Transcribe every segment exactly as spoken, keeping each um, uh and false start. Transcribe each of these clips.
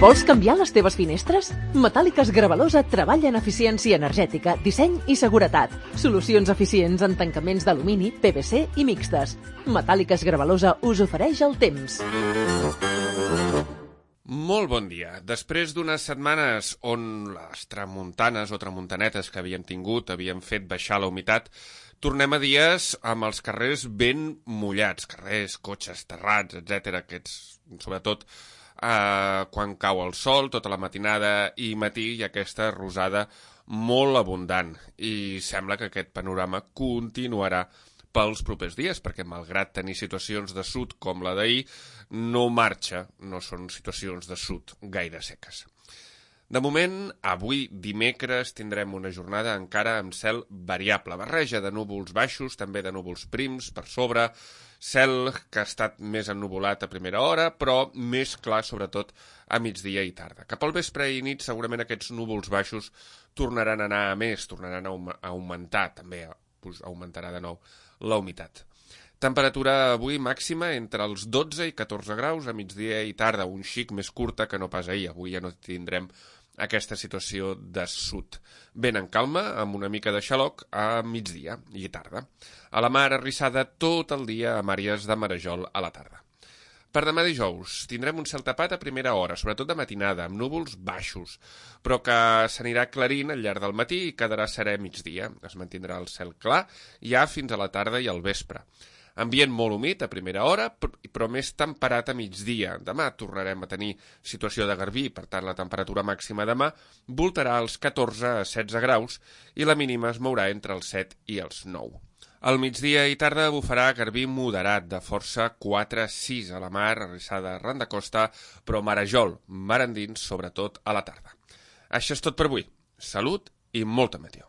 Vols canviar les teves finestres? Metàl·liques Gravalosa treballa en eficiència energètica, disseny i seguretat. Solucions eficients en tancaments d'alumini, P V C i mixtes. Metàl·liques Gravalosa us ofereix el temps. Molt bon dia. Després d'unes setmanes on les tramuntanes o tramuntanetes que havíem tingut havien fet baixar la humitat, tornem a dies amb els carrers ben mullats, carrers, cotxes, terrats, etcètera, aquests, sobretot eh, quan cau el sol, tota la matinada i matí, hi ha aquesta rosada molt abundant. I sembla que aquest panorama continuarà pels propers dies, perquè malgrat tenir situacions de sud com la d'ahir, no marxa, no són situacions de sud gaire seques. De moment, avui dimecres tindrem una jornada encara amb cel variable, barreja de núvols baixos, també de núvols prims per sobre, cel que ha estat més ennuvolat a primera hora, però més clar sobretot a migdia i tarda. Cap al vespre i nit segurament aquests núvols baixos tornaran a anar a més, tornaran a augmentar, també augmentarà de nou la humitat. Temperatura avui màxima entre els dotze i catorze graus a migdia i tarda, un xic més curta que no pas ahir. Avui ja no tindrem aquesta situació de sud. Ben en calma, amb una mica de xaloc a migdia i tarda. A la mar arrissada tot el dia amb àrees de marejol a la tarda. Per demà dijous tindrem un cel tapat a primera hora, sobretot de matinada, amb núvols baixos, però que s'anirà aclarint al llarg del matí i quedarà serè a migdia. Es mantindrà el cel clar ja fins a la tarda i al vespre. Ambient molt humit a primera hora, però més temperat a migdia. Demà tornarem a tenir situació de garbí, per tant la temperatura màxima demà voltarà als catorze a setze graus i la mínima es mourà entre els set i els nou. Al migdia i tarda bufarà garbí moderat, de força quatre a sis a la mar, arrissada arran de costa, però marejol, mar endins, sobretot a la tarda. Això és tot per avui. Salut i molta meteor.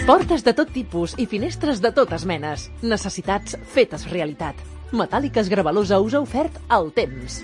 Portes de tot tipus i finestres de totes menes. Necessitats fetes realitat. Metàl·liques Gravalosa us ha ofert el temps.